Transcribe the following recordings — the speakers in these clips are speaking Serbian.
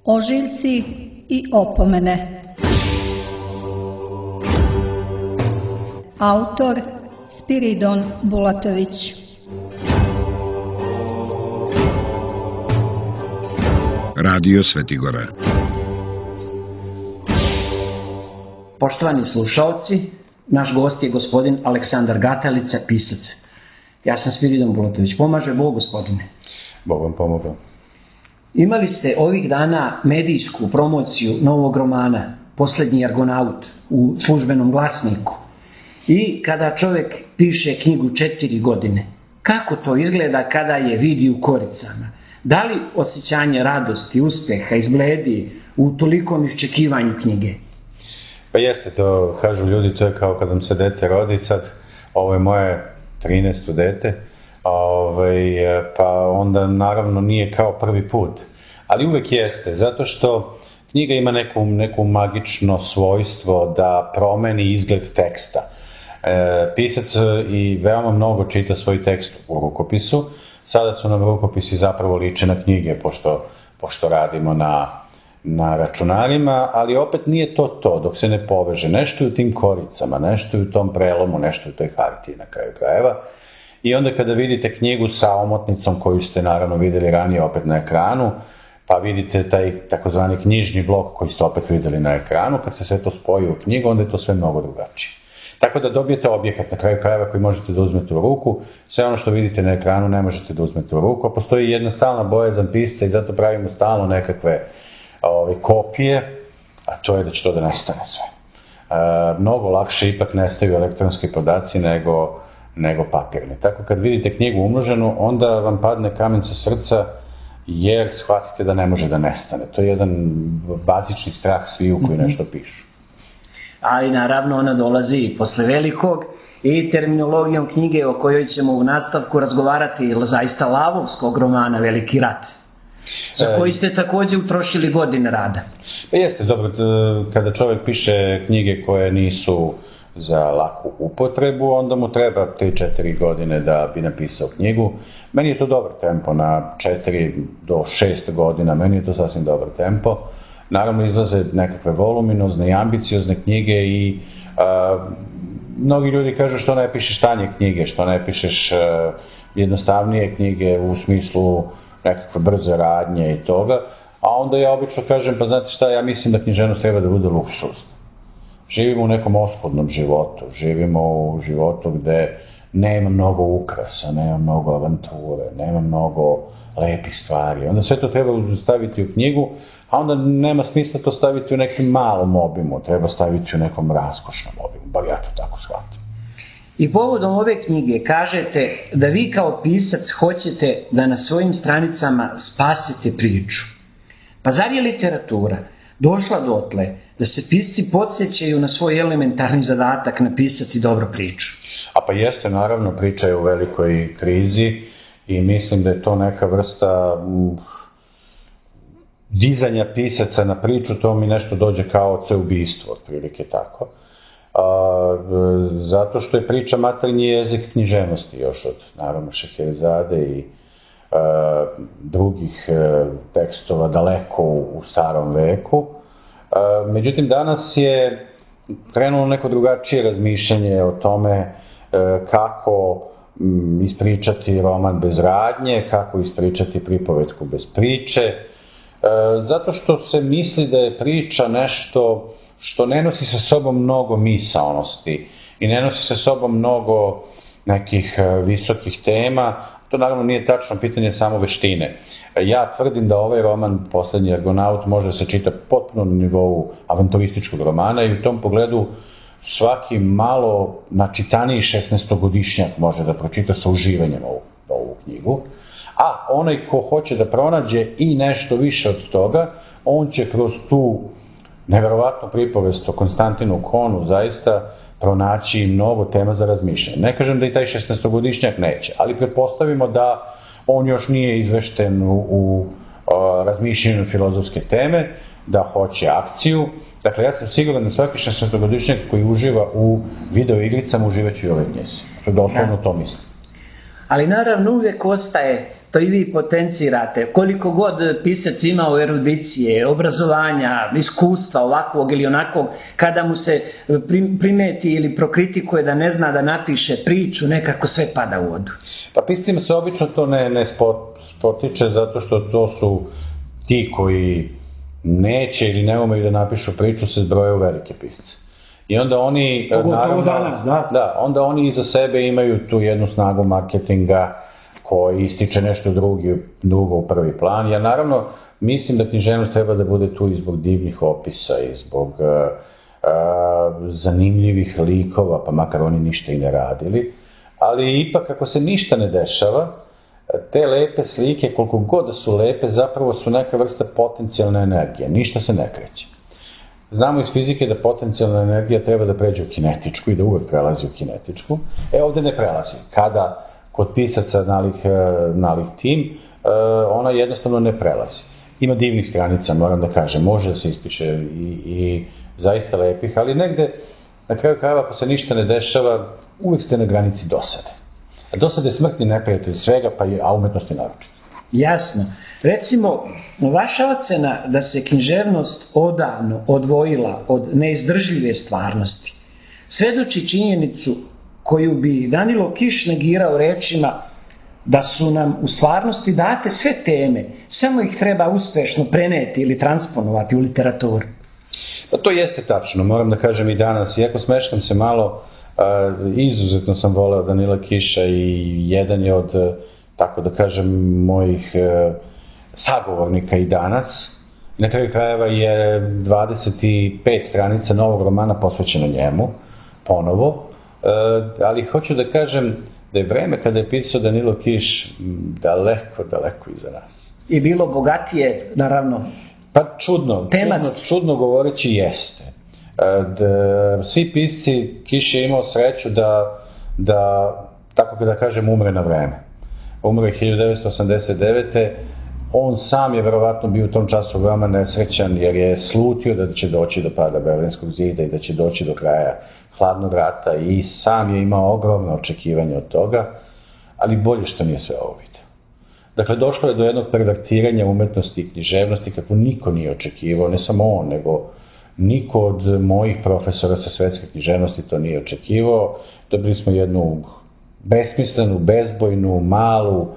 Ožiljci i opomene. Autor Spiridon Bulatović. Radio Svetigora. Poštovani slušalci, naš gost je gospodin Aleksandar Gatalica, pisac. Ja sam Spiridon Bulatović. Pomaže Bog, gospodine. Bog vam pomogao. Imali ste ovih dana medijsku promociju novog romana Poslednji Argonaut u Službenom glasniku. I kada čovjek piše knjigu 4 godine, kako to izgleda kada je vidi u koricama? Da li osjećanje radosti, uspeha izbledi u tolikom iščekivanju knjige? Pa jeste, to kažu ljudi, to je kao kad vam se dete rodi, sad ovo je moje 13. dete, pa onda naravno nije kao prvi put. Ali uvek jeste, zato što knjiga ima neku magično svojstvo da promeni izgled teksta. Pisac i veoma mnogo čita svoj tekst u rukopisu. Sada su nam rukopisi zapravo liče na knjige, pošto radimo na računarima, ali opet nije to dok se ne poveže. Nešto je u tim koricama, nešto je u tom prelomu, nešto je u toj hartiji na kraju krajeva. I onda kada vidite knjigu sa omotnicom koju ste naravno videli ranije opet na ekranu, pa vidite taj takozvani knjižni blok koji ste opet videli na ekranu, kad se sve to spoji u knjigu, onda je to sve mnogo drugačije. Tako da dobijete objekat na kraju krajeva koji možete da uzmete u ruku, sve ono što vidite na ekranu ne možete da uzmete u ruku, a postoji jedna stalna bojazan pisca i zato pravimo stalno nekakve kopije, a to je da će to da nestane sve. Mnogo lakše ipak nestaju elektronski podaci nego papirni. Tako kad vidite knjigu umnoženu, onda vam padne kamen sa srca jer shvatite da ne može da nestane. To je jedan bazični strah sviju koji nešto pišu. Ali naravno ona dolazi posle velikog i terminologijom knjige o kojoj ćemo u nastavku razgovarati, zaista lavovskog romana Veliki rat, za koji ste također utrošili godine rada. Jeste, dobro, kada čovjek piše knjige koje nisu za laku upotrebu, onda mu treba 3-4 godine da bi napisao knjigu. Meni je to dobar tempo, na 4 do 6 godina, meni je to sasvim dobar tempo. Naravno izlaze nekakve voluminozne i ambiciozne knjige i mnogi ljudi kažu što ne pišeš tanje knjige, što ne pišeš jednostavnije knjige u smislu nekakve brze radnje i toga, a onda ja obično kažem, pa znate šta, ja mislim da književnost treba da bude luksuzna. Živimo u nekom oskudnom životu, živimo u životu gde nema mnogo ukrasa, nema mnogo avanture, nema mnogo lepih stvari. Onda sve to treba staviti u knjigu, a onda nema smisla to staviti u nekom malom obimu, treba staviti u nekom raskošnom obimu, bar ja to tako shvatim. I povodom ove knjige kažete da vi kao pisac hoćete da na svojim stranicama spasite priču. Pa zar je literatura došla dotle da se pisci podsjećaju na svoj elementarni zadatak napisati dobru priču? A pa jeste, naravno, priča je u velikoj krizi i mislim da je to neka vrsta dizanja pisaca na priču, to mi nešto dođe kao oceubijstvo, otprilike tako. Zato što je priča maternji jezik književnosti još od, naravno, Šeherezade i drugih tekstova daleko u starom veku. Međutim, danas je krenulo neko drugačije razmišljanje o tome kako ispričati roman bez radnje, kako ispričati pripovetku bez priče, zato što se misli da je priča nešto što ne nosi sa sobom mnogo misaonosti i ne nosi sa sobom mnogo nekih visokih tema. To naravno nije tačno, pitanje samo veštine. Ja tvrdim da ovaj roman Poslednji Argonaut može da se čita potpuno na nivou avanturističkog romana i u tom pogledu svaki malo načitaniji 16-godišnjak može da pročita sa uživanjem ovu knjigu. A onaj ko hoće da pronađe i nešto više od toga, on će kroz tu neverovatnu pripovest o Konstantinu Konu zaista pronaći mnogo tema za razmišljanje. Ne kažem da i taj 16-godišnjak neće, ali pretpostavimo da on još nije izvešten u razmišljanju filozofske teme, da hoće akciju. Dakle, ja sam siguran da svaki 16-godišnjak koji uživa u video igricama uživaće i ove knjige. Doslovno to mislim. Ali naravno uvijek ostaje što i vi potencirate, koliko god pisac imao erudicije, obrazovanja, iskustva ovakvog ili onakvog, kada mu se primeti ili prokritikuje da ne zna da napiše priču, nekako sve pada u vodu. Pa piscima se obično to ne spotiče, zato što to su ti koji neće ili ne umeju da napišu priču, se zbroje u velike pisce. I onda oni, onda oni iza sebe imaju tu jednu snagu marketinga koji ističe nešto drugo u prvi plan. Ja naravno mislim da književnost treba da bude tu i zbog divnih opisa i zbog zanimljivih likova, pa makar oni ništa i ne radili. Ali ipak ako se ništa ne dešava, te lepe slike, koliko god da su lepe, zapravo su neka vrsta potencijalne energije. Ništa se ne kreće. Znamo iz fizike da potencijalna energija treba da pređe u kinetičku i da uvek prelazi u kinetičku. Ovde ne prelazi. Kada kod pisaca nalik tim, ona jednostavno ne prelazi. Ima divnih stranica, moram da kažem, može da se ispiše i zaista lepih, ali negde, na kraju krajeva, ako se ništa ne dešava, uvek ste na granici dosade. A dosade je smrtni neprijatelj svega, a umetnosti naročito. Jasno. Recimo, vaša ocena da se književnost odavno odvojila od neizdržljive stvarnosti svedoči činjenicu koju bi Danilo Kiš negirao rečima da su nam u stvarnosti date sve teme, samo ih treba uspešno preneti ili transponovati u literaturu. Pa to jeste tačno, moram da kažem i danas, iako smeškam se malo, izuzetno sam voleo Danila Kiša i jedan je od, tako da kažem, mojih sagovornika i danas. Na kraju krajeva je 25 stranica novog romana posvećeno njemu, ponovo, ali hoću da kažem da je vreme kada je pisao Danilo Kiš daleko iza nas. I bilo bogatije, naravno. Pa čudno govoreći jeste. Svi pisci, Kiš je imao sreću da, tako da kažem, umre na vreme. Umre 1989. On sam je verovatno bio u tom času veoma nesrećan jer je slutio da će doći do pada Berlinskog zida i da će doći do kraja hladnog rata i sam je imao ogromno očekivanje od toga, ali bolje što nije sve ovo vidio. Dakle, došlo je do jednog pervertiranja umetnosti i književnosti kako niko nije očekivao, ne samo on, nego niko od mojih profesora sa svetske književnosti to nije očekivao. Dobili smo jednu besmislenu, bezbojnu, malu,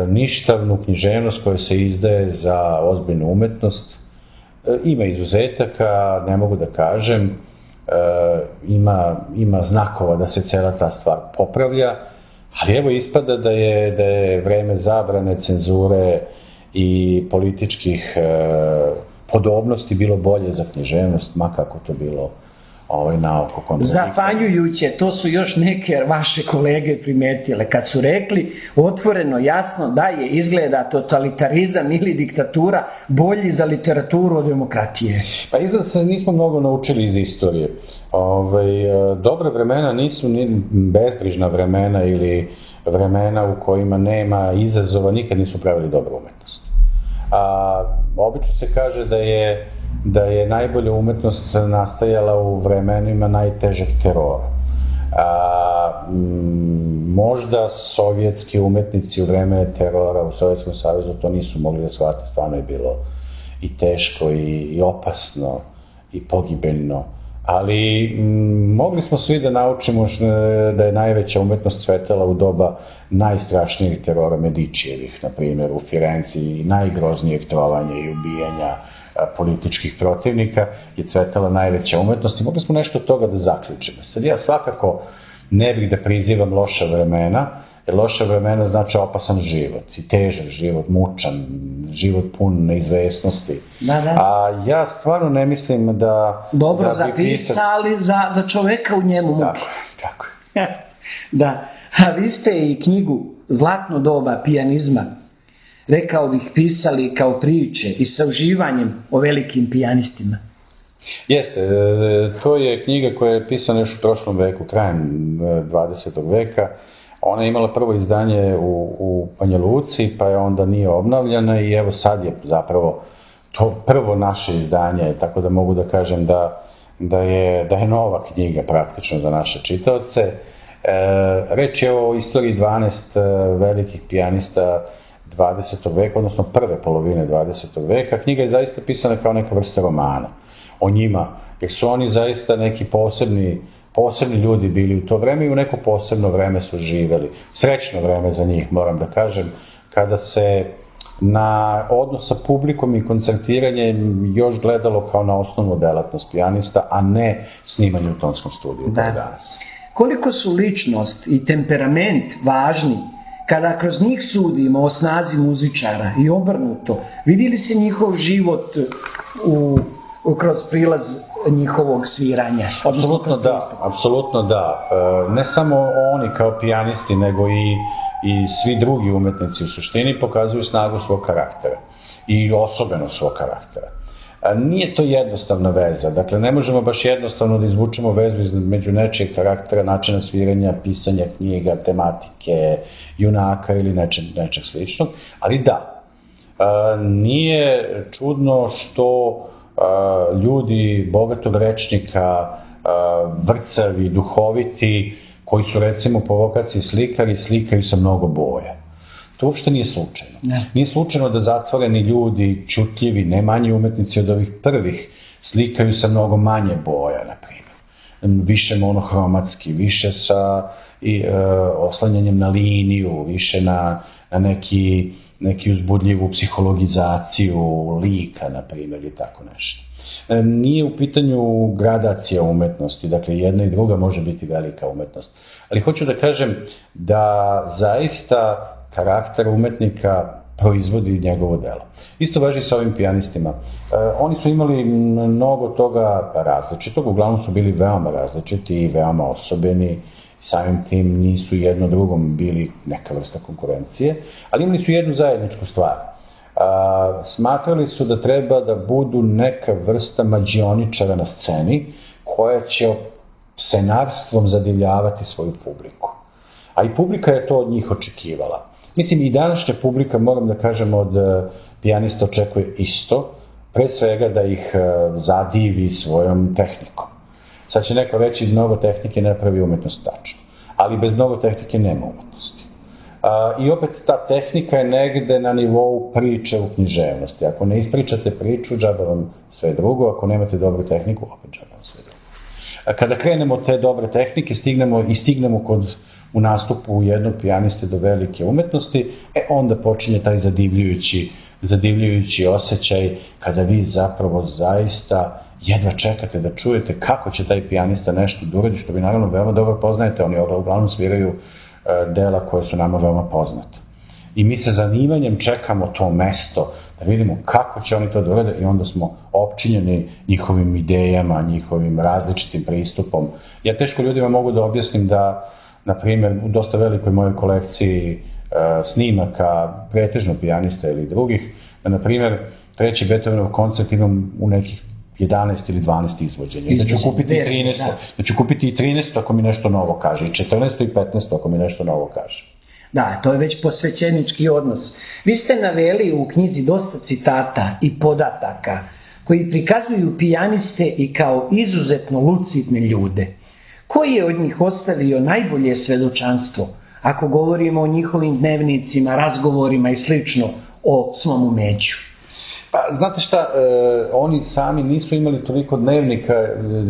ništavnu književnost koja se izdaje za ozbiljnu umetnost. Ima izuzetaka, ne mogu da kažem, ima znakova da se cela ta stvar popravlja, ali evo ispada da je vreme zabrane, cenzure i političkih podobnosti bilo bolje za književnost, makako to bilo naoko kontradiktorno. Zapanjujuće, to su još neke vaše kolege primetile, kad su rekli otvoreno, jasno da je izgleda totalitarizam ili diktatura bolji za literaturu od demokratije. Pa izgleda se nismo mnogo naučili iz istorije. Dobre vremena nisu ni bezbrižna vremena ili vremena u kojima nema izazova, nikad nisu pravili dobru umetnost. Obično se kaže da je najbolja umetnost nastajala u vremenima najtežeg terora. Možda sovjetski umetnici u vreme terora u Sovjetskom savezu to nisu mogli da shvate, stvarno je bilo i teško i opasno i pogibeljno, ali mogli smo svi da naučimo da je najveća umetnost cvetala u doba najstrašnijih terora Medičijevih, na primjer u Firenci, i najgroznijeg trovanja i ubijanja političkih protivnika je cvetala najveća umetnost i mogli smo nešto od toga da zaključimo. Sad ja svakako ne bih da prizivam loša vremena, jer loša vremena znači opasan život i težak život, mučan, život pun neizvesnosti. A ja stvarno ne mislim da... Dobro zapisali za čoveka u njemu muke. Tako je. Da, a vi ste i knjigu Zlatno doba pijanizma, rekao bih, pisali kao priče i sa uživanjem o velikim pijanistima. Jeste, to je knjiga koja je pisana još u prošlom veku, krajem 20. veka. Ona je imala prvo izdanje u Banja Luci, pa je onda nije obnavljana i evo sad je zapravo to prvo naše izdanje, tako da mogu da kažem da je nova knjiga praktično za naše čitaoce. Reč je o istoriji 12 velikih pijanista 20. veka, odnosno prve polovine 20. veka. Knjiga je zaista pisana kao neka vrsta romana o njima, jer su oni zaista neki posebni ljudi bili u to vreme i u neko posebno vreme su živeli. Srećno vreme za njih, moram da kažem, kada se na odnos sa publikom i koncertiranje još gledalo kao na osnovnu delatnost pijanista, a ne snimanje u tonskom studiju danas. Koliko su ličnost i temperament važni kada kroz njih sudimo o snazi muzičara i obrnuto, vidi li se njihov život kroz prilaz njihovog sviranja? Apsolutno da. Ne samo oni kao pijanisti, nego i svi drugi umetnici u suštini pokazuju snagu svog karaktera i osobenost svog karaktera. Nije to jednostavna veza, dakle ne možemo baš jednostavno da izvučemo vezu između nečijeg karaktera, načina sviranja, pisanja knjiga, tematike, junaka ili nečeg sličnog, ali da, nije čudno što ljudi bogatog rečnika, vrcavi, duhoviti, koji su recimo po vokaciji slikari, slikaju sa mnogo boja. To uopšte nije slučajno. Nije slučajno da zatvoreni ljudi, čutljivi, ne manji umetnici od ovih prvih, slikaju sa mnogo manje boja, na primjer. Više monohromatski, više sa oslanjanjem na liniju, više na neki uzbudljivu psihologizaciju lika, na primjer, i tako nešto. Nije u pitanju gradacija umetnosti, dakle jedna i druga može biti velika umetnost. Ali hoću da kažem da zaista karakter umetnika proizvodi njegovo delo. Isto važi sa ovim pijanistima. Oni su imali mnogo toga različitog, uglavnom su bili veoma različiti i veoma osobeni, samim tim nisu jedno drugom bili neka vrsta konkurencije, ali imali su jednu zajedničku stvar. Smatrali su da treba da budu neka vrsta mađioničara na sceni koja će scenarstvom zadivljavati svoju publiku. A i publika je to od njih očekivala. Mislim, i današnja publika, moram da kažem, od pijanista očekuje isto, pre svega da ih zadivi svojom tehnikom. Sad će neko reći, mnogo tehnike ne pravi umetnost, tačno. Ali bez mnogo tehnike nema umetnosti. I opet ta tehnika je negde na nivou priče u književnosti. Ako ne ispričate priču, džaba vam sve drugo, ako nemate dobru tehniku, opet džaba vam sve drugo. Kada krenemo od te dobre tehnike, stignemo u nastupu jednog pijaniste do velike umetnosti, onda počinje taj zadivljujući osjećaj kada vi zapravo zaista jedva čekate da čujete kako će taj pijanista nešto da uradi, što vi naravno veoma dobro poznajete, oni uglavnom sviraju dela koje su nama veoma poznate. I mi sa zanimanjem čekamo to mesto, da vidimo kako će oni to da urade i onda smo opčinjeni njihovim idejama, njihovim različitim pristupom. Ja teško ljudima mogu da objasnim da, na primjer, u dosta velikoj mojoj kolekciji snimaka, pretežno pijanista ili drugih, da, na primjer, treći Beethovenov koncert imam u nekih 11 ili 12 izvođenja. Da ću kupiti i 13 ako mi nešto novo kaže, i 14 i 15 ako mi nešto novo kaže. Da, to je već posvećenički odnos. Vi ste naveli u knjizi dosta citata i podataka koji prikazuju pijaniste i kao izuzetno lucidne ljude. Koji je od njih ostavio najbolje svedočanstvo, ako govorimo o njihovim dnevnicima, razgovorima i slično o svom umeću? Pa, znate šta, oni sami nisu imali toliko dnevnika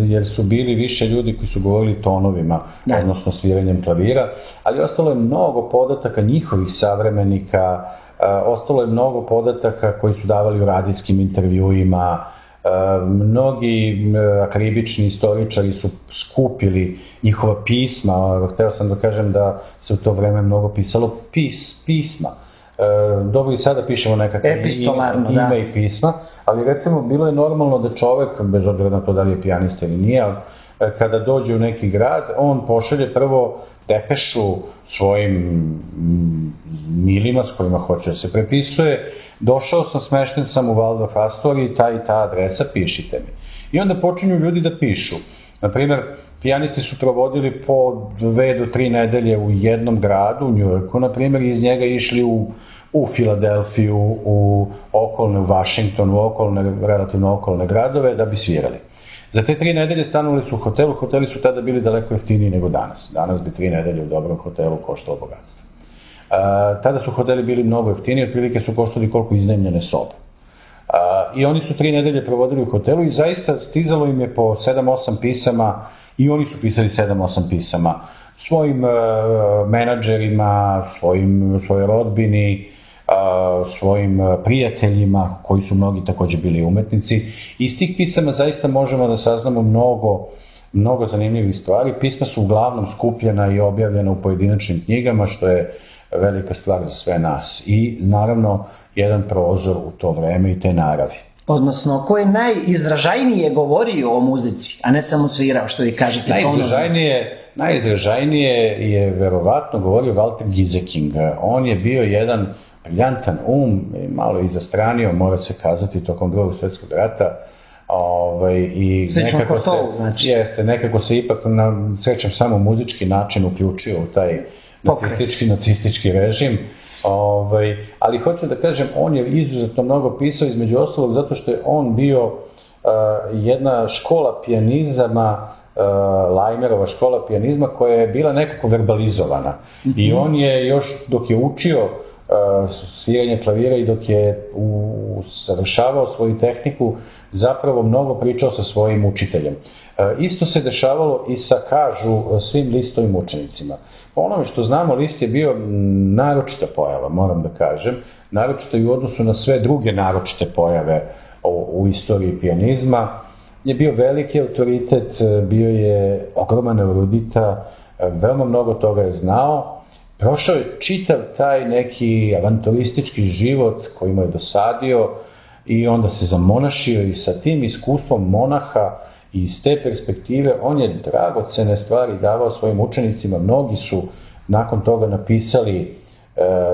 jer su bili više ljudi koji su govorili tonovima, odnosno sviranjem klavira, ali ostalo je mnogo podataka njihovih savremenika, ostalo je mnogo podataka koji su davali u radijskim intervjuima, mnogi akribični istoričari su skupili njihova pisma, hteo sam da kažem da se u to vreme mnogo pisalo pisma. Dobro i sada pišemo nekakve ime i pisma, ali recimo bilo je normalno da čovek, bez obzira na to da li je pijanista ili nije, kada dođe u neki grad, on pošalje prvo depešu svojim milima s kojima hoće da se prepisuje, došao sam, smešten sam u Waldorf Astoriji, ta i ta adresa, pišite mi. I onda počinju ljudi da pišu. Naprimjer, pijanisti su provodili po 2 do 3 nedelje u jednom gradu, u Njujorku, naprimjer, i iz njega išli u Filadelfiju, u Washington, u relativno okolne gradove da bi svirali. Za te 3 nedelje stanovali su u hotelu, hoteli su tada bili daleko jeftiniji nego danas. Danas bi 3 nedelje u dobrom hotelu koštalo bogatstvo. Tada su hoteli bili mnogo jeftiniji, otprilike su koštali koliko iznajmljene sobe. I oni su 3 nedelje provodili u hotelu i zaista stizalo im je po 7-8 pisama i oni su pisali 7-8 pisama svojim menadžerima, svojoj rodbini, svojim prijateljima koji su mnogi također bili umetnici. Iz tih pisama zaista možemo da saznamo mnogo zanimljivih stvari. Pisma su uglavnom skupljena i objavljena u pojedinačnim knjigama, što je velika stvar za sve nas. I naravno jedan prozor u to vreme i te naravi. Odnosno, ko je najizražajnije govorio o muzici, a ne samo svirao, što vi kažete? Najizražajnije je verovatno govorio Walter Gieseking. On je bio jedan briljantan malo i zastranio, mora se kazati, tokom Drugog svjetskog rata. I nekako se ipak, srećem, samo muzički način uključio u taj nacistički režim. Ali hoću da kažem, on je izuzetno mnogo pisao, između ostalog zato što je on bio jedna škola pijanizama, Lajmerova škola pijanizma, koja je bila nekako verbalizovana. I on je još dok je učio sviranje klavira i dok je usavršavao svoju tehniku, zapravo mnogo pričao sa svojim učiteljem. Isto se dešavalo i sa, kažu, svim Listovim učenicima. Po onome što znamo, List je bio naročita pojava, moram da kažem, naročito i u odnosu na sve druge naročite pojave u istoriji pijanizma. Je bio veliki autoritet, bio je ogroman erudita, veoma mnogo toga je znao. Prošao je čitav taj neki avanturistički život koji mu je dosadio i onda se zamonašio i sa tim iskustvom monaha i iz te perspektive on je dragocene stvari davao svojim učenicima. Mnogi su nakon toga napisali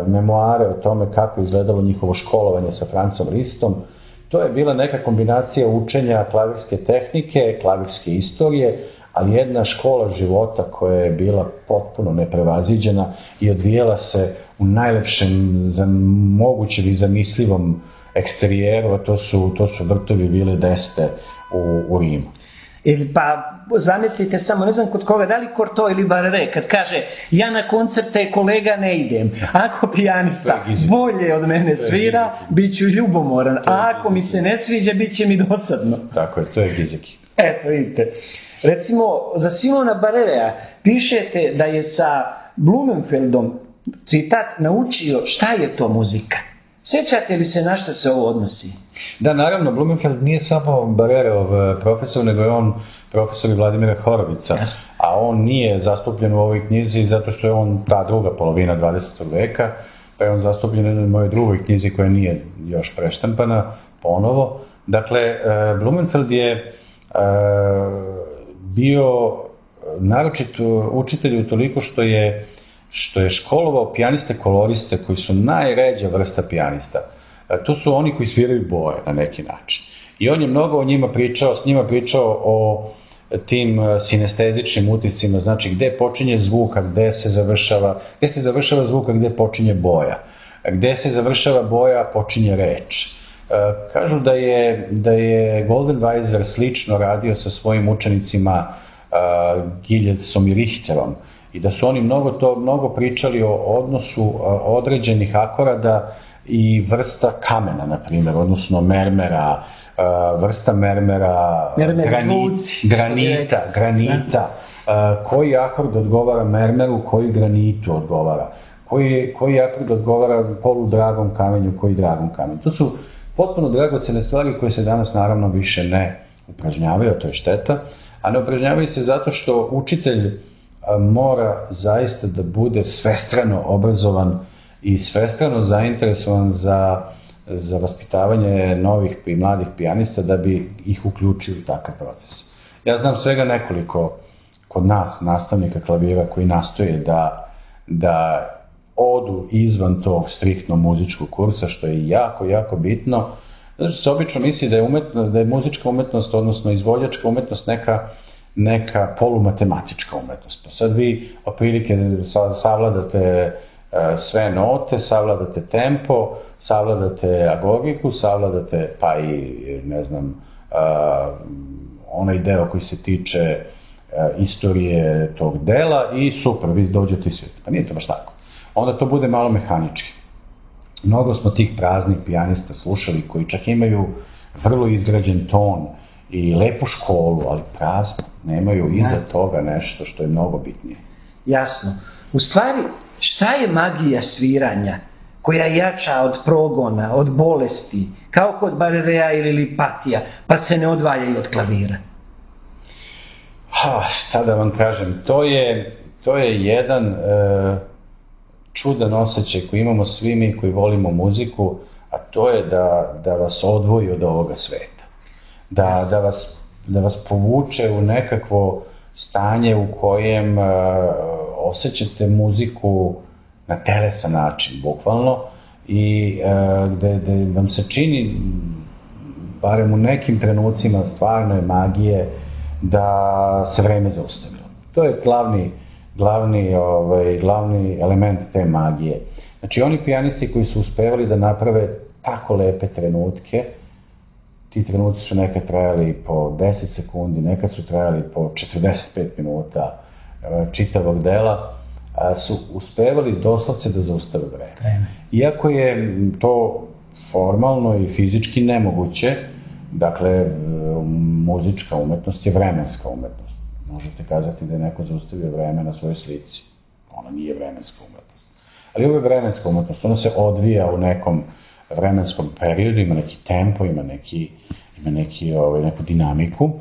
memoare o tome kako je izgledalo njihovo školovanje sa Francom Listom. To je bila neka kombinacija učenja klavirske tehnike, klavirske istorije, ali jedna škola života koja je bila potpuno neprevaziđena i odvijela se u najlepšem mogućem i zamislivom eksterijeru, a to su vrtovi Vile d'Este u Rimu. Pa zamislite samo, ne znam kod koga, da li Cortot ili Barré, kad kaže ja na koncerte kolega ne idem, ako pijanista bolje od mene svira, bit ću ljubomoran, a ako mi se ne sviđa, bit će mi dosadno. Tako je, to je Gizeki. Eto, vidite. Recimo, za Simona Barrea pišete da je sa Blumenfeldom, citat, naučio šta je to muzika. Sjećate li se na što se ovo odnosi? Da, naravno, Blumenfeld nije samo Barerov profesor, nego je on profesor i Vladimira Horovica, a on nije zastupljen u ovoj knjizi zato što je on ta druga polovina 20. veka, pa je on zastupljen u mojoj drugoj knjizi koja nije još preštampana ponovo. Dakle, Blumenfeld je bio naročit učitelj utoliko što je školovao pijaniste koloriste koji su najređa vrsta pijanista. To su oni koji sviraju boje na neki način. I on je mnogo o njima pričao, s njima pričao o tim sinestezičnim uticima, znači gde počinje zvuk, a gde se završava zvuk, a gde počinje boja. Gde se završava boja, a počinje reč. Kažu da je Goldenweiser slično radio sa svojim učenicima Giljecom i Richterom i da su oni mnogo pričali o odnosu određenih akorada i vrsta kamena, na primjer, odnosno mermera, vrsta mermera, granita, koji akord odgovara mermeru, koji granitu odgovara, koji akord odgovara poludragom kamenju, koji dragom kamenju. To su potpuno dragocene stvari koje se danas naravno više ne upražnjavaju, a to je šteta, a ne upražnjavaju se zato što učitelj mora zaista da bude svestrano obrazovan i svestrano zainteresovan za vaspitavanje novih i mladih pijanista da bi ih uključio u takav proces. Ja znam svega nekoliko kod nas nastavnika klavira koji nastoje da odu izvan tog striktno muzičkog kursa, što je jako, jako bitno. Znači se obično misli da je muzička umetnost, odnosno izvođačka umetnost neka polumatematička umetnost. Sad vi otprilike savladate sve note, savladate tempo, savladate agogiku, savladate pa i, ne znam, onaj deo koji se tiče istorije tog dela i super, vi dođete i svirate. Pa nije to baš tako. onda to bude malo mehanički. Mnogo smo tih praznih pijanista slušali koji čak imaju vrlo izgrađen ton i lepu školu, ali prazno, nemaju iza toga nešto što je mnogo bitnije. Jasno. U stvari, šta je magija sviranja koja je jača od progona, od bolesti, kao kod Barerea ili Lipatija, pa se ne odvajaju od klavira? Šta da vam kažem, to je jedan čudan osjećaj koji imamo svi mi koji volimo muziku, a to je da vas odvoji od ovoga sveta. Da vas povuče u nekakvo stanje u kojem osjećate muziku na telesan način, bukvalno, i gde vam se čini, barem u nekim trenucima stvarno je magije, da se vreme zaustavilo. To je glavni element te magije. Znači, oni pijanisti koji su uspevali da naprave tako lepe trenutke, ti trenuci su nekad trajali po 10 sekundi, nekad su trajali po 45 minuta čitavog dela, su uspevali doslovce da zaustave vreme. Iako je to formalno i fizički nemoguće, dakle, muzička umetnost je vremenska umetnost. Možete kazati da je neko zaustavio vreme na svojoj slici. Ona nije vremenska umetnost. Ali ovo je vremenska umetnost. Ona se odvija u nekom vremenskom periodu, ima neki tempo, ima neku dinamiku.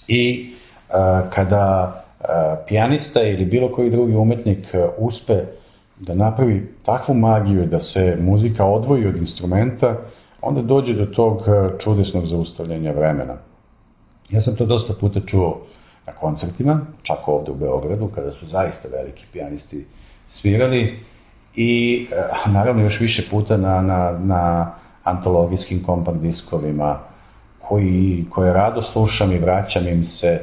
I kada pijanista ili bilo koji drugi umetnik uspe da napravi takvu magiju da se muzika odvoji od instrumenta, onda dođe do tog čudesnog zaustavljanja vremena. Ja sam to dosta puta čuo na koncertima, čak ovde u Beogradu, kada su zaista veliki pijanisti svirali, i naravno još više puta na antologijskim kompakt diskovima, koje rado slušam i vraćam im se,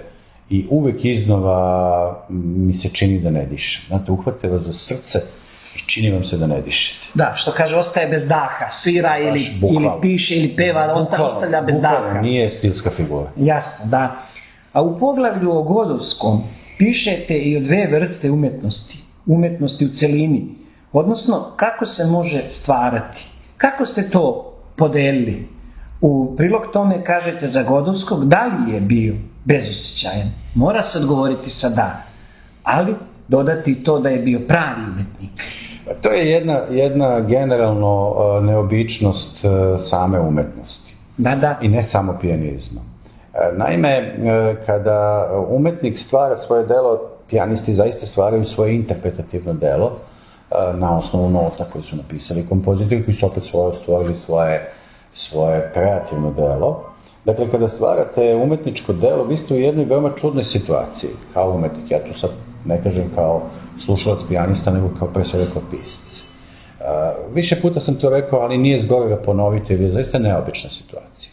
i uvek iznova mi se čini da ne dišem. Znate, uhvate vas za srce i čini vam se da ne dišete. Da, što kaže, ostaje bez daha, svira ili piše ili peva, ostavlja bez daha. Bukvalno, nije stilska figura. Jasno, da. A u poglavlju o Godovskom pišete i o dve vrste umetnosti u celini, odnosno kako se može stvarati. Kako ste to podelili? U prilog tome kažete za Godovskog, da li je bio bezosjećajan? Mora se odgovoriti sa da, ali dodati to da je bio pravi umetnik. To je jedna generalno neobičnost same umetnosti. Da. I ne samo pijanizma. Naime, kada umetnik stvara svoje delo, pijanisti zaista stvaraju svoje interpretativno delo na osnovu nota koje su napisali kompozitori, koji su opet stvorili svoje kreativno delo. Dakle, kada stvarate umetničko delo, vi ste u jednoj veoma čudnoj situaciji kao umetnik. Ja tu sad ne kažem kao slušalac pijanista, nego pre svega kao pisac. Više puta sam to rekao, ali nije zgorega ponoviti, jer je zaista neobična situacija.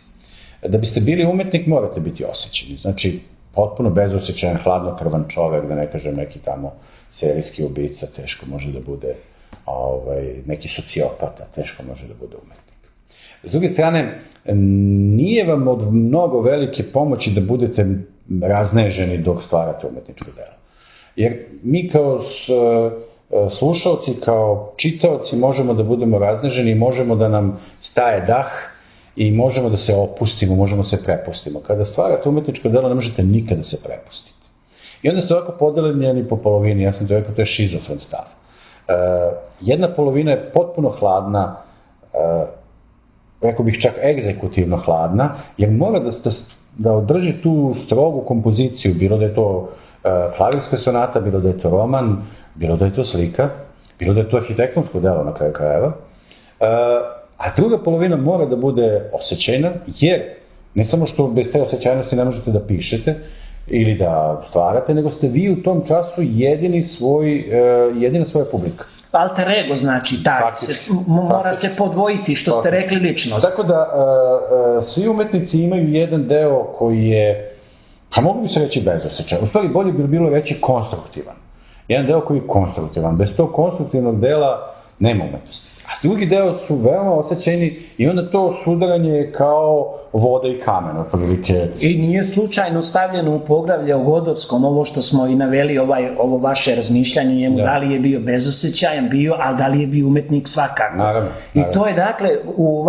Da biste bili umetnik, morate biti osjećeni. Znači, potpuno bezosjećajan, hladnokrvan čovek, da ne kažem neki tamo serijski ubica, teško može da bude neki sociopata, teško može da bude umetnik. S druge strane, nije vam od mnogo velike pomoći da budete razneženi dok stvarate umetničko delo. Jer mi kao slušalci, kao čitaoci možemo da budemo razneženi, možemo da nam staje dah i možemo da se opustimo, možemo da se prepustimo. Kada stvarate umetničko delo, ne možete nikada da se prepustiti. I onda ste ovako podeljeni po polovini, ja sam to rekao, to je šizofren stav. Jedna polovina je potpuno hladna, rekao bih čak egzekutivno hladna, jer mora da održi tu strogu kompoziciju, bilo da je to klavirska sonata, bilo da je to roman, bilo da je to slika, bilo da je to arhitektonsko delo na kraju krajeva. A druga polovina mora da bude osjećajna, jer ne samo što bez te osjećajnosti ne možete da pišete ili da stvarate, nego ste vi u tom času jedina svoja publika. Alter ego znači, mora se podvojiti, što ste rekli, ličnost. Tako da svi umetnici imaju jedan deo koji je, pa mogu bi se reći bezosjećajan, u stvari bolje bi bilo reći konstruktivan. Jedan deo koji je konstruktivan. Bez tog konstruktivnog dela nema umetnosti. A drugi deo su veoma osjećeni i onda to sudaranje kao voda i kamen, otprilike. I nije slučajno stavljeno u poglavlje o Godovskom, ovo što smo i naveli, ovo vaše razmišljanje njemu, da li je bio bezosećajan, a da li je bio umetnik svakako. Naravno. I to je dakle u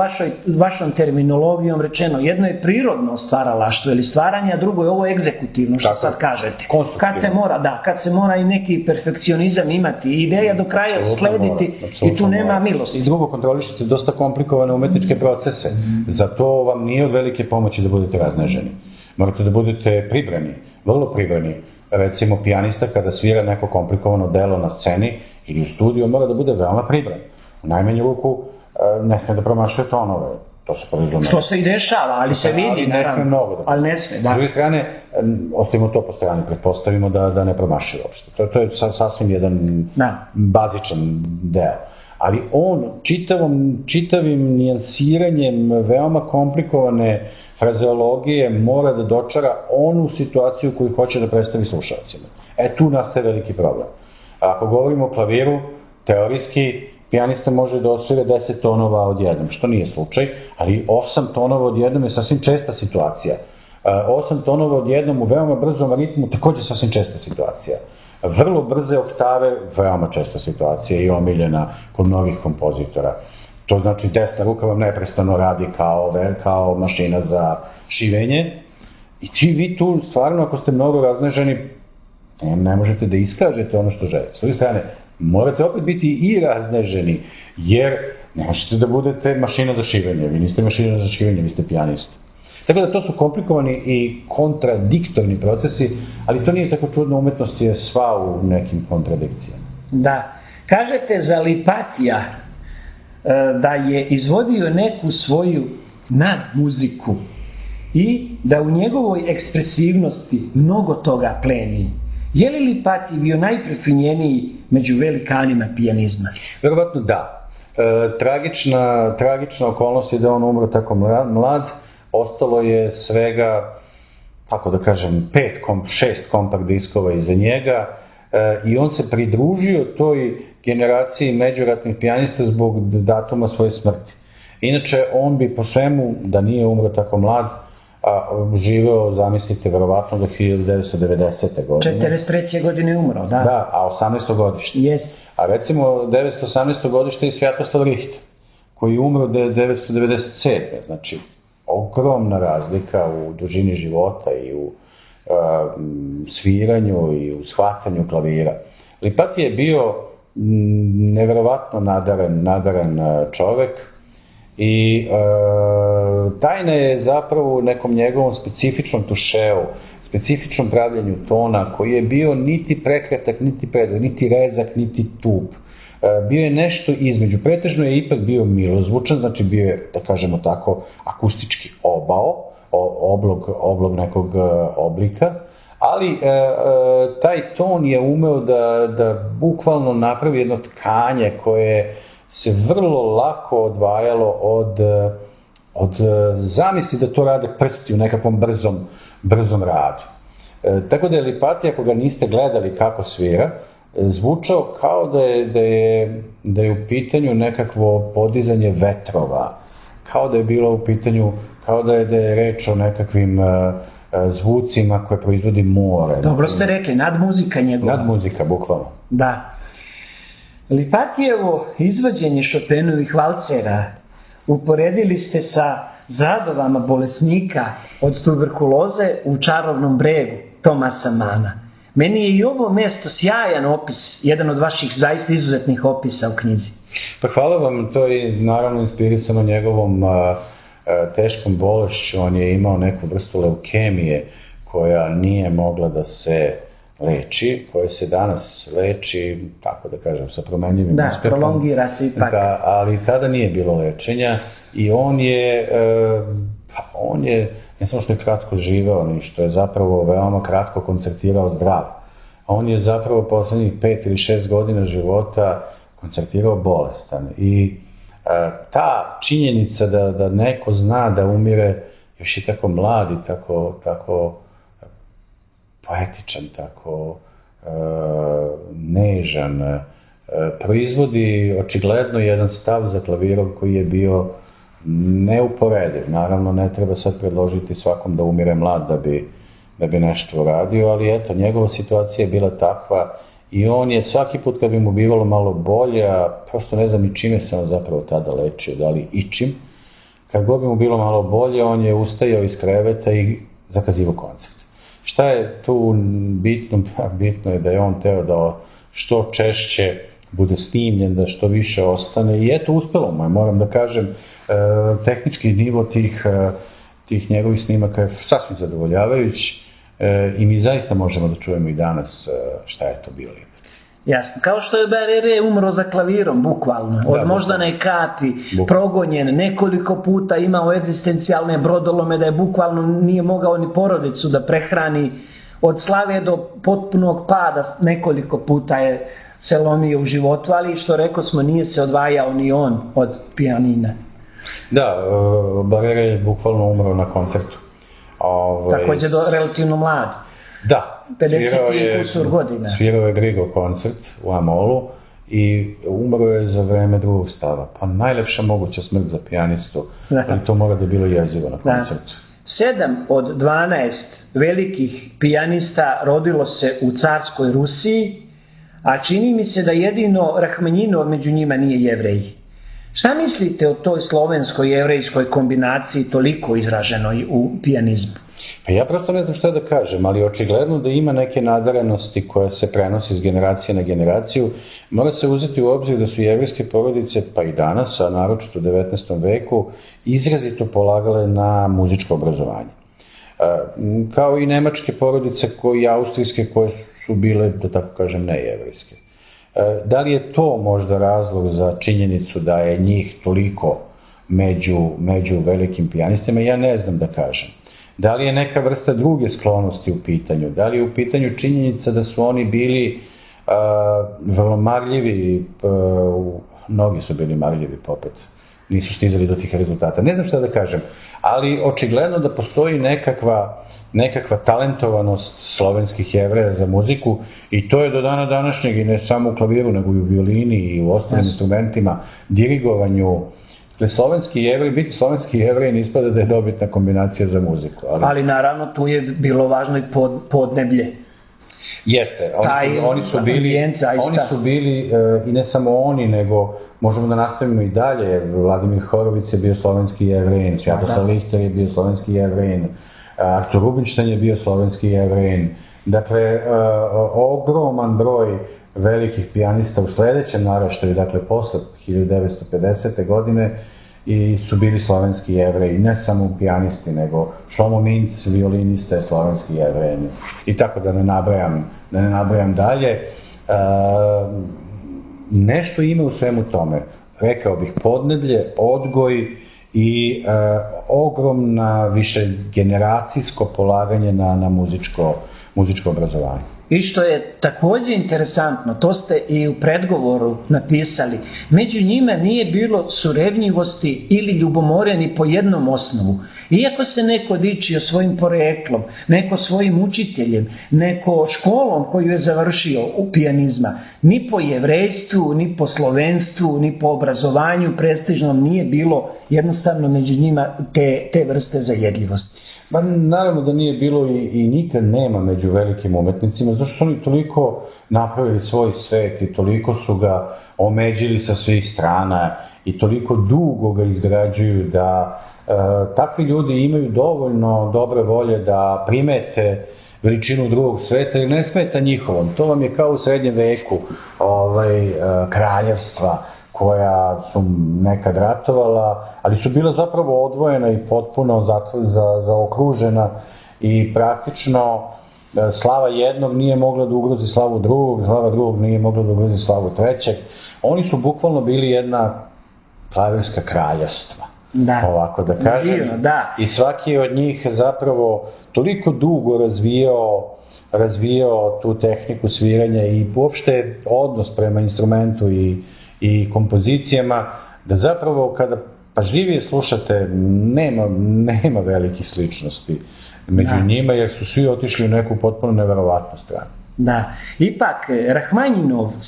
vašom terminologijom rečeno, jedno je prirodno stvaralaštvo ili stvaranje, a drugo je ovo egzekutivno, što sad kažete. Kad se mora i neki perfekcionizam imati i ideja do kraja slediti i tu nema milosti. I drugo, kontrolišete dosta komplikovane umetničke procese. Zato vam nije od velike pomoći da budete razneženi. Morate da budete pribrani, vrlo pribrani. Recimo, pijanista kada svira neko komplikovano delo na sceni ili u studiju, mora da bude veoma pribran. U najmanju ruku ne sme da promašuje tonove. To se podrazumeva. Što se i dešava, ali se vidi. Ali ne sme mnogo. Ali ne sme, da. S druge strane, ostavimo to po strani, pretpostavimo da ne promašuje uopšte. To je sasvim jedan bazičan deo. Ali on čitavim nijansiranjem veoma komplikovane frazeologije mora da dočara onu situaciju koju hoće da predstavi slušalcima. Tu nastaje veliki problem. Ako govorimo o klaviru, teorijski, pijanista može da osvira 10 tonova odjednom, što nije slučaj, ali 8 tonova odjednom je sasvim česta situacija. 8 tonova odjednom u veoma brzom ritmu takođe sasvim česta situacija. Vrlo brze oktave, veoma česta situacija i omiljena kod mnogih kompozitora. To znači desna ruka vam neprestano radi kao mašina za šivenje i vi tu stvarno, ako ste mnogo razneženi, ne možete da iskažete ono što želite. S druge strane, morate opet biti i razneženi, jer ne možete da budete mašina za šivenje. Vi niste mašina za šivenje, vi ste pijanista. Tako da to su komplikovani i kontradiktorni procesi, ali to nije tako čudno, umetnost je sva u nekim kontradikcijama. Da. Kažete za Lipatija da je izvodio neku svoju nadmuziku i da u njegovoj ekspresivnosti mnogo toga pleni. Je li Lipatij bio najprefinjeniji među velikanima pijanizma? Verovatno da. Tragična okolnost je da on umro tako mlad. Ostalo je svega, tako da kažem, 6 kompakt diskova iza njega i on se pridružio toj generaciji međuratnih pijanista zbog datuma svoje smrti. Inače, on bi po svemu, da nije umro tako mlad, živeo, zamislite, verovatno do 1990. godine. 43. godine je umro, da. Da, a 18. godište. Yes. A recimo, 918. godište je Svjatoslav Richter, koji je umro 1997. Znači, ogromna razlika u dužini života i u sviranju i u shvatanju klavira. Lipatij je bio neverovatno nadaren čovek i tajna je zapravo u nekom njegovom specifičnom tušeu, specifičnom pravljenju tona koji je bio niti prekratak, niti predak, niti rezak, niti tup. Bio je nešto između. Pretežno je ipak bio milozvučan, znači bio je, da kažemo tako, akustički oblog nekog oblika, ali taj ton je umeo da bukvalno napravi jedno tkanje koje se vrlo lako odvajalo od zamisli da to rade prsti u nekakvom brzom radu. Tako da je Lipatij, ako ga niste gledali kako svira, zvučao kao da je u pitanju nekakvo podizanje vetrova, kao da je bilo u pitanju, kao da je reč o nekakvim zvucima koje proizvodi more. Dobro ste rekli, nadmuzika njegova. Nadmuzika, bukvalno. Da. Lipatijevo izvođenje Chopinovih valcera uporedili ste sa zadovama bolesnika od tuberkuloze u Čarobnom bregu Tomasa Mana. Meni je i ovo mesto sjajan opis, jedan od vaših zaista izuzetnih opisa u knjizi. Pa hvala vam, to je naravno inspirisano njegovom teškom bolešću. On je imao neku vrstu leukemije koja nije mogla da se leči, koja se danas leči, tako da kažem, sa promenljivim uspehom. Da, prolongira se ipak. Ali tada nije bilo lečenja i on je ne samo što je kratko živeo, ni što je zapravo veoma kratko koncertirao zdrav. On je zapravo poslednjih 5 ili 6 godina života koncertirao bolestan. I ta činjenica da neko zna da umire još je tako mlad i tako poetičan, tako nežan, proizvodi očigledno jedan stav za klavirom koji je bio neuporediv. Naravno, ne treba sad predložiti svakom da umire mlad da bi nešto uradio, ali eto, njegova situacija je bila takva i on je svaki put kad bi mu bivalo malo bolje, a prosto ne znam i čime se on zapravo tada lečio, da li i čim, kad god bi mu bilo malo bolje, on je ustajao iz kreveta i zakazivao koncert. Šta je tu bitno? Bitno je da je on teo da što češće bude snimljen, da što više ostane i eto, uspelo mu je, moram da kažem, tehnički nivo tih njegovih snimaka je sasvim zadovoljavajući i mi zaista možemo da čujemo i danas šta je to bilo. Jasno, kao što je Barere umro za klavirom, bukvalno, od moždane kapi, progonjen, nekoliko puta imao egzistencijalne brodolome, da je bukvalno nije mogao ni porodicu da prehrani, od slave do potpunog pada, nekoliko puta je se lomio u životu, ali što rekao smo, nije se odvajao ni on od pijanina. Da, Barere je bukvalno umro na koncertu. Također relativno mlad. Da, 50 kusur godina. Svirao je Grigo koncert u Amolu i umro je za vreme drugog stava. Pa najlepša moguća smrt za pijanistu, ali to mora da bilo jezivo na koncertu. 7 od 12 velikih pijanista rodilo se u carskoj Rusiji, a čini mi se da jedino Rahmanjinov među njima nije Jevrej. Šta mislite o toj slovensko-jevrejskoj kombinaciji toliko izraženoj u pijanizmu? Pa ja prosto ne znam šta da kažem, ali očigledno da ima neke nadarenosti koja se prenosi iz generacije na generaciju. Mora se uzeti u obzir da su jevrejske porodice, pa i danas, a naročito u 19. veku, izrazito polagale na muzičko obrazovanje. Kao i nemačke porodice i austrijske koje su bile, da tako kažem, nejevrejske. Da li je to možda razlog za činjenicu da je njih toliko među velikim pijanistima? Ja ne znam da kažem. Da li je neka vrsta druge sklonosti u pitanju? Da li je u pitanju činjenica da su oni bili vrlo marljivi, mnogi su bili marljivi popet, nisu stizali do tih rezultata. Ne znam šta da kažem, ali očigledno da postoji nekakva talentovanost slovenskih Jevreja za muziku i to je do dana današnjeg i ne samo u klaviru, nego i u violini i u ostalim instrumentima, dirigovanju. Slovenski Jevrej, biti slovenski Jevrej ne ispada da je dobitna kombinacija za muziku. Ali naravno tu je bilo važno i podneblje. Jeste, oni su bili i ne samo oni, nego možemo da nastavimo i dalje. Vladimir Horović je bio slovenski Jevrej, Svjatoslav Lister je bio slovenski Jevrej, Artur Rubinštajn je bio slovenski Jevrej. Dakle, ogroman broj velikih pijanista u sledećem naraštaju, dakle posle 1950. godine, i su bili slovenski Jevreji, ne samo pijanisti, nego Šlomo Minc, violinista je slovenski Jevrej. I tako da ne nabrajam dalje. Nešto ima u svemu tome. Rekao bih podneblje, odgoj i ogromna višegeneracijsko polaganje na muzičko obrazovanje. I što je također interesantno, to ste i u predgovoru napisali, među njima nije bilo surevnjivosti ili ljubomore ni po jednom osnovu. Iako se neko dičio svojim poreklom, neko svojim učiteljem, neko školom koju je završio u pijanizma, ni po jevrejstvu, ni po slovenstvu, ni po obrazovanju prestižnom nije bilo jednostavno među njima te vrste zajedljivosti. Ma naravno da nije bilo i nikad nema među velikim umetnicima, zato što su oni toliko napravili svoj svet i toliko su ga omeđili sa svih strana i toliko dugo ga izgrađuju da takvi ljudi imaju dovoljno dobre volje da primete veličinu drugog sveta i ne smeta njihovom. To vam je kao u srednjem veku kraljevstva koja su nekad ratovala, ali su bila zapravo odvojena i potpuno zaokružena i praktično slava jednog nije mogla da ugrozi slavu drugog, slava drugog nije mogla da ugrozi slavu trećeg. Oni su bukvalno bili jedna klavirska kraljevstva, ovako da kažem. I svaki od njih zapravo toliko dugo razvijao tu tehniku sviranja i uopšte odnos prema instrumentu i kompozicijama, da zapravo kada pažljivije slušate nema velikih sličnosti među njima, jer su svi otišli u neku potpuno neverovatnu stranu. Da. Ipak,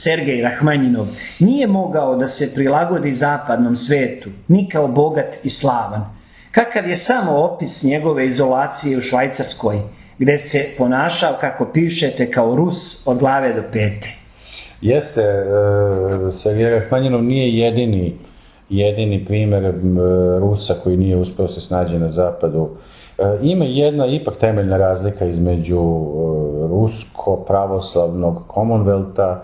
Sergej Rahmanjinov nije mogao da se prilagodi zapadnom svetu, ni kao bogat i slavan. Kakav je samo opis njegove izolacije u Švajcarskoj, gde se ponašao, kako pišete, kao Rus od glave do pete. Jeste, Sergej Rahmanjinov nije jedini primjer Rusa koji nije uspeo se snađe na zapadu. Ima jedna ipak temeljna razlika između rusko-pravoslavnog Commonwealtha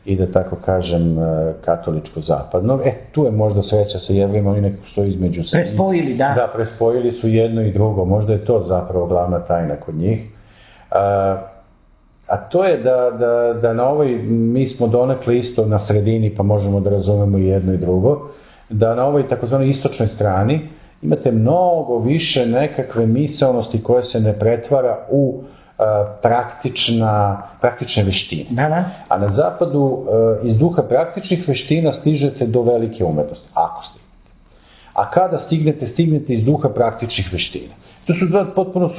i, da tako kažem, katoličko-zapadnog. Tu je možda sreća sa Jevrima, oni nekako stoji između se. Prespojili, da. Da, prespojili su jedno i drugo. Možda je to zapravo glavna tajna kod njih. A to je da na ovoj, mi smo donekle isto na sredini, pa možemo da razumemo i jedno i drugo, da na ovoj takozvanoj istočnoj strani imate mnogo više nekakve misaonosti koje se ne pretvara u praktične veštine. Da. A na zapadu iz duha praktičnih veština stižete do velike umetnosti, ako stignete. A kada stignete iz duha praktičnih veština. To su dva potpuno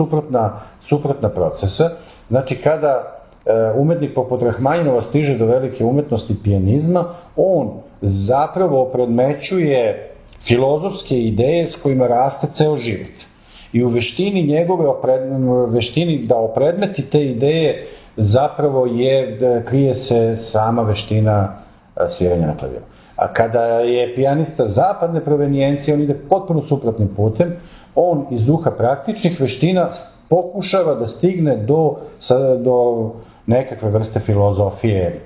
suprotna procesa. Znači, kada umetnik poput Rahmanjinova stiže do velike umetnosti pijanizma, on zapravo opredmećuje filozofske ideje s kojima raste ceo život. I u veštini njegove, veštini da opredmeti te ideje, zapravo krije se sama veština sviranja na klaviru. A kada je pijanista zapadne provenijencije, on ide potpuno suprotnim putem, on iz duha praktičnih veština pokušava da stigne do nekakve vrste filozofije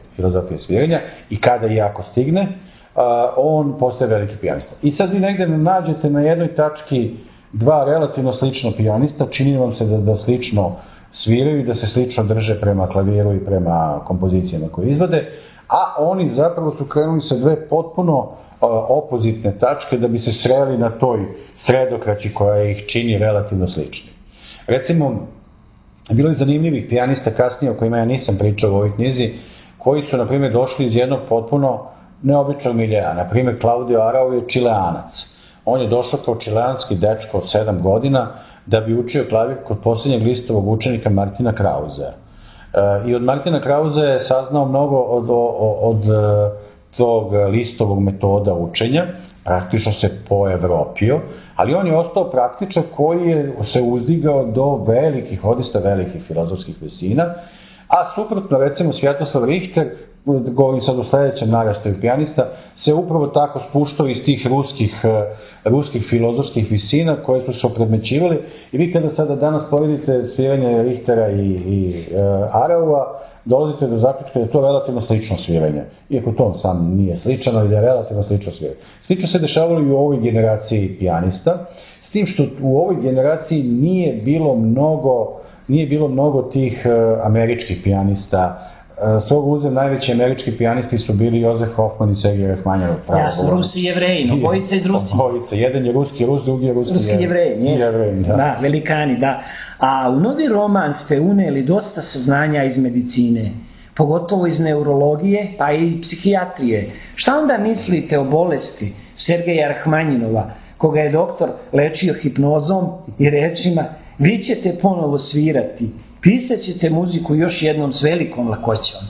sviranja i kada i ako stigne, on postaje veliki pijanista. I sad vi negde nađete na jednoj tački dva relativno slično pijanista, čini vam se da slično sviraju i da se slično drže prema klaviru i prema kompozicijama koje izvode, a oni zapravo su krenuli sa dve potpuno opozitne tačke da bi se sreli na toj sredokraći koja ih čini relativno slični. Recimo, bilo je zanimljivih pijanista kasnije o kojima ja nisam pričao u ovoj knjizi, koji su, na primjer, došli iz jednog potpuno neobičnog miljeja. Na primjer, Claudio Arau je Čileanac. On je došao kao čileanski dečko od 7 godina da bi učio klavir kod posljednjeg listovog učenika Martina Krausea. I od Martina Krausea je saznao mnogo od tog listovog metoda učenja, praktično se poevropio, ali on je ostao praktičan koji je se uzdigao do velikih, odista velikih filozofskih visina, a suprotno, recimo, Svjatoslav Richter, govorim sad o sledećem narastaju pijanista, se upravo tako spuštao iz tih ruskih filozofskih visina koje su se opredmećivali. I vi kada sada danas poredite sviranje Richtera i Araua, dolazite do zaključka da je to relativno slično sviranje. Iako to sam nije sličan, ali da je relativno slično sviranje. Slično se dešavalo i u ovoj generaciji pijanista, s tim što u ovoj generaciji nije bilo mnogo tih američkih pijanista. S ovog uzem najveći američki pijanisti su bili Jozef Hoffman i Sergej Rahmanjinov. Jasno, Rusi i Jevreji, obojica iz Rusije. Obojica, jedan je ruski Rus, drugi je ruski Jevrej. Da, velikani, da. A u novi roman ste uneli dosta saznanja iz medicine, pogotovo iz neurologije, pa i psihijatrije. Šta onda mislite o bolesti Sergeja Rahmanjinova, koga je doktor lečio hipnozom i rečima: vi ćete ponovo svirati, pisat ćete muziku još jednom s velikom lakoćom?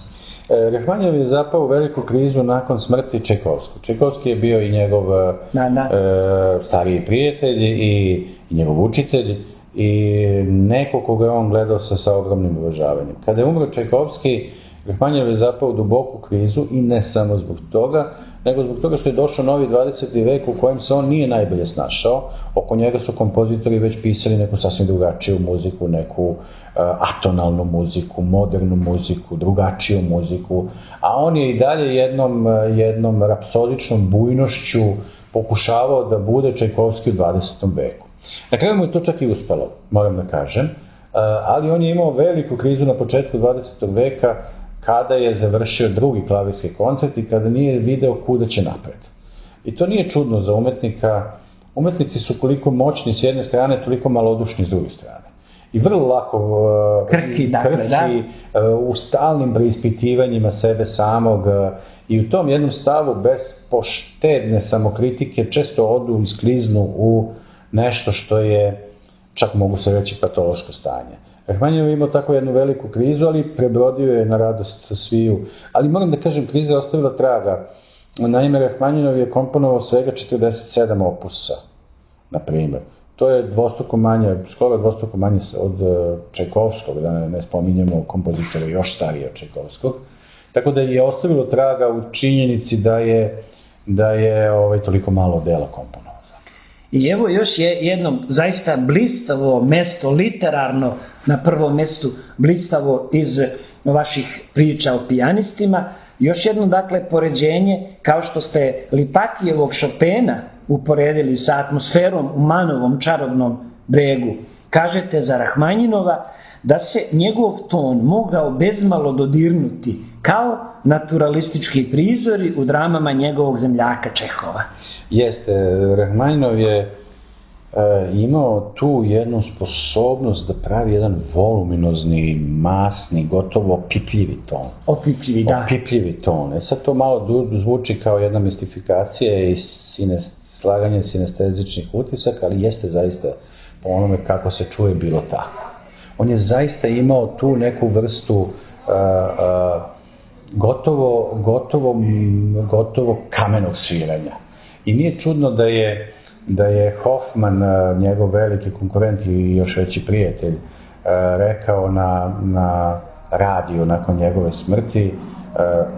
Rahmanjinov je zapao u veliku krizu nakon smrti Čajkovskog. Čajkovski je bio i njegov stariji prijatelj i njegov učitelj i neko koga je on gledao sa ogromnim uvažavanjem. Kada je umro Čajkovski, Rahmanjinov je zapao u duboku krizu i ne samo zbog toga, nego zbog toga što je došao novi 20. vek u kojem se on nije najbolje snašao. Oko njega su kompozitori već pisali neku sasvim drugačiju muziku, neku atonalnu muziku, modernu muziku, drugačiju muziku, a on je i dalje jednom rapsodičnom bujnošću pokušavao da bude Čajkovski u 20. veku. Na kraju mu je to čak i uspelo, moram da kažem, ali on je imao veliku krizu na početku 20. veka kada je završio drugi klavirski koncert i kada nije video kuda će napred. I to nije čudno za umetnika. Umetnici su koliko moćni s jedne strane, toliko malodušni s druge strane. I vrlo lako krhki u stalnim preispitivanjima sebe samog i u tom jednom stavu bez poštedne samokritike često odu i skliznu u nešto što je, čak mogu se reći, patološko stanje. Rahmanjinov je imao tako jednu veliku krizu, ali prebrodio je na radost sviju. Ali moram da kažem, kriza je ostavila traga. Naime, Rahmanjinov je komponovao svega 47 opusa, na primjer. To je dvostruko manje, skoro dvostruko manje od Čajkovskog, da ne spominjemo kompozitora još starije od Čajkovskog. Tako da je ostavilo traga u činjenici da je toliko malo dela komponovao. I evo još jedno zaista blistavo mesto, literarno na prvom mestu, blistavo iz vaših priča o pijanistima. Još jedno, dakle, poređenje, kao što ste Lipatijevog Chopina uporedili sa atmosferom u Manovom čarobnom bregu. Kažete za Rahmanjinova da se njegov ton mogao bezmalo dodirnuti kao naturalistički prizori u dramama njegovog zemljaka Čehova. Jeste, Rahmanjinov je imao tu jednu sposobnost da pravi jedan voluminozni, masni, gotovo opipljivi ton. Opipljivi, da. Opipljivi ton. Sad to malo zvuči kao jedna mistifikacija i slaganje sinestezičnih utisaka, ali jeste zaista po onome kako se čuje bilo tako. On je zaista imao tu neku vrstu gotovo kamenog sviranja. I nije čudno da je Hoffman, njegov veliki konkurent i još veći prijatelj, rekao na radiju nakon njegove smrti,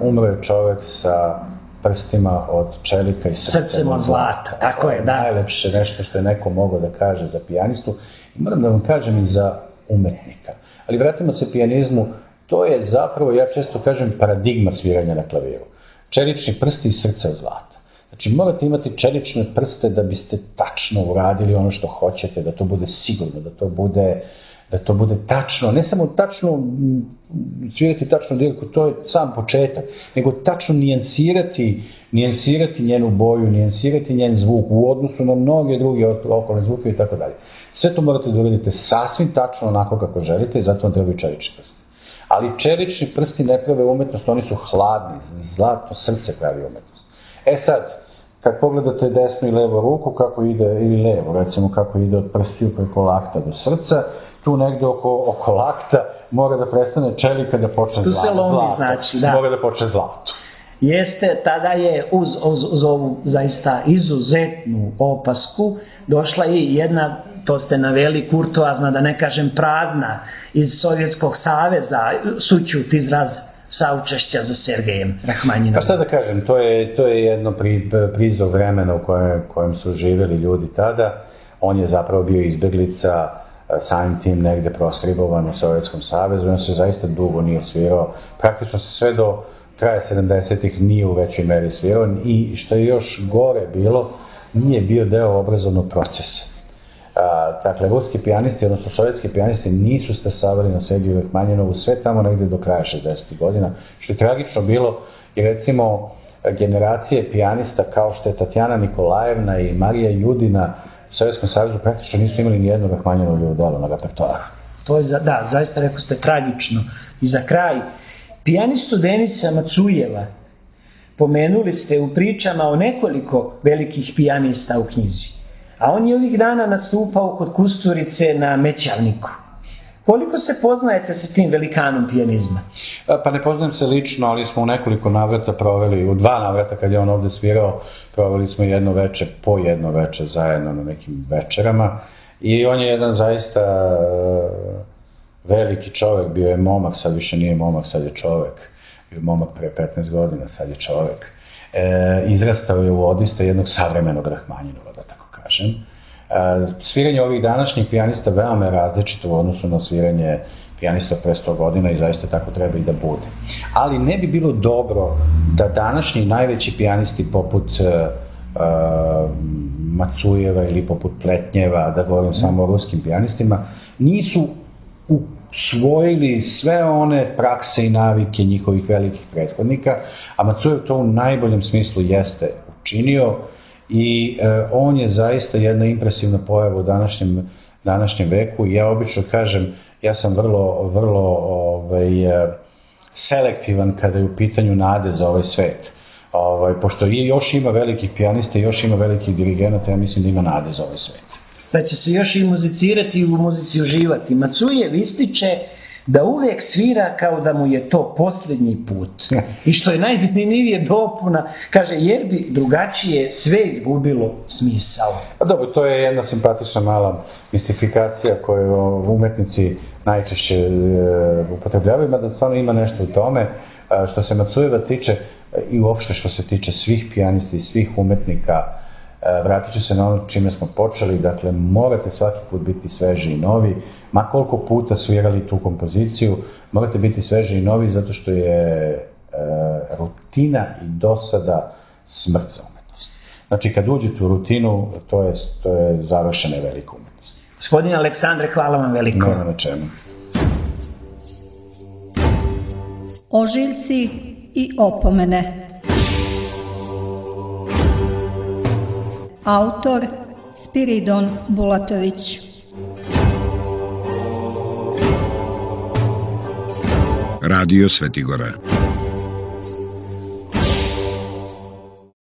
umro je čovjek sa prstima od čelika i srcem od zlata. Tako je, da. Najlepše nešto što je neko mogao da kaže za pijanistu. I moram da vam kažem i za umetnika. Ali vratimo se pijanizmu, to je zapravo, ja često kažem, paradigma sviranja na klaviru. Čelični prsti i srce od zlata. Znači, morate imati čelične prste da biste tačno uradili ono što hoćete, da to bude sigurno, da to bude tačno, ne samo tačno svirati tačnu dirku, to je sam početak, nego tačno nijansirati njenu boju, nijansirati njen zvuk u odnosu na mnoge druge okolne zvuke i tako dalje. Sve to morate da uradite sasvim tačno onako kako želite i zato vam trebaju čelični prsti. Ali čelični prsti ne prave umetnost, oni su hladni, zlato srce pravi umetnost. Sad, kad pogledate desnu i levu ruku, kako ide, ili levo, recimo kako ide od prstiju preko lakta do srca, tu negde oko lakta mora da prestane čelika da počne zlato. Tu se lomi, znači, da. Mora da počne zlato. Jeste, tada je uz ovu zaista izuzetnu opasku došla i jedna, to ste naveli, kurtoazna, da ne kažem prazna, iz Sovjetskog saveza, sućut izraz saučešća za Sergejem Rahmanjinovom. Pa šta da kažem, to je jedno prizor vremena u kojem su živjeli ljudi tada. On je zapravo bio izbjeglica, samim tim negde prostribovan u Sovjetskom savezu. On se zaista dugo nije svirao. Praktično se sve do kraja 70-ih nije u većoj meri svirao i što je još gore bilo, nije bio deo obrazovnog procesa. Dakle, ruski pijanisti, odnosno sovjetski pijanisti nisu stasavali na Sergeju Rahmanjinovu sve tamo negde do kraja 60. godina, što je tragično bilo i recimo generacije pijanista kao što je Tatjana Nikolajevna i Marija Judina u Sovjetskom savezu praktično nisu imali nijedno Rahmanjinovo delo na repertoaru. To je, da, zaista rekao ste tragično. I za kraj, pijanistu Denisa Macujeva pomenuli ste u pričama o nekoliko velikih pijanista u knjizi. A on je ovih dana nastupao kod Kusturice na Mećavniku. Koliko se poznajete sa tim velikanom pijanizma? Pa ne poznajem se lično, ali smo u nekoliko navrata proveli, u 2 navrata kad je on ovde svirao, proveli smo jedno veče zajedno na nekim večerama. I on je jedan zaista veliki čovjek, bio je momak, sad više nije momak, sad je čovjek. Bio je momak pre 15 godina, sad je čovjek. Izrastao je u odista jednog savremenog Rahmanjinova, da tako kažem. Sviranje ovih današnjih pijanista veoma je različito u odnosu na sviranje pijanista pre 100 godina i zaista tako treba i da bude. Ali ne bi bilo dobro da današnji najveći pijanisti poput Macujeva ili poput Pletnjeva, da govorim samo o ruskim pijanistima, nisu usvojili sve one prakse i navike njihovih velikih prethodnika, a Macujev to u najboljem smislu jeste učinio i on je zaista jedna impresivna pojava u današnjem veku i ja obično kažem, ja sam vrlo selektivan kada je u pitanju nade za ovaj svet. Pošto još ima velikih pijanista, još ima velikih dirigenata, ja mislim da ima nade za ovaj svet. pa će se još i muzicirati i u muzici uživati. Macujev ističe da uvijek svira kao da mu je to posljednji put. I što je najzanimljivije dopuna, kaže, jer bi drugačije sve izgubilo smisao. A dobro, to je jedna simpatična mala mistifikacija koju umetnici najčešće upotrebljavaju, mada stvarno ima nešto u tome. Što se Macujeva tiče i uopšte što se tiče svih pijanisti i svih umetnika, vratit ću se na ono čime smo počeli, dakle morate svaki put biti sveži i novi, ma koliko puta svirali tu kompoziciju, morate biti sveži i novi zato što je rutina i dosada smrt za umetnost. Znači kad uđete u rutinu, to je završena velika umetnost. Gospodine Aleksandre, hvala vam veliko. Nema na čemu. Ožiljci i opomene. Autor Spiridon Bulatović. Radio Svetigora.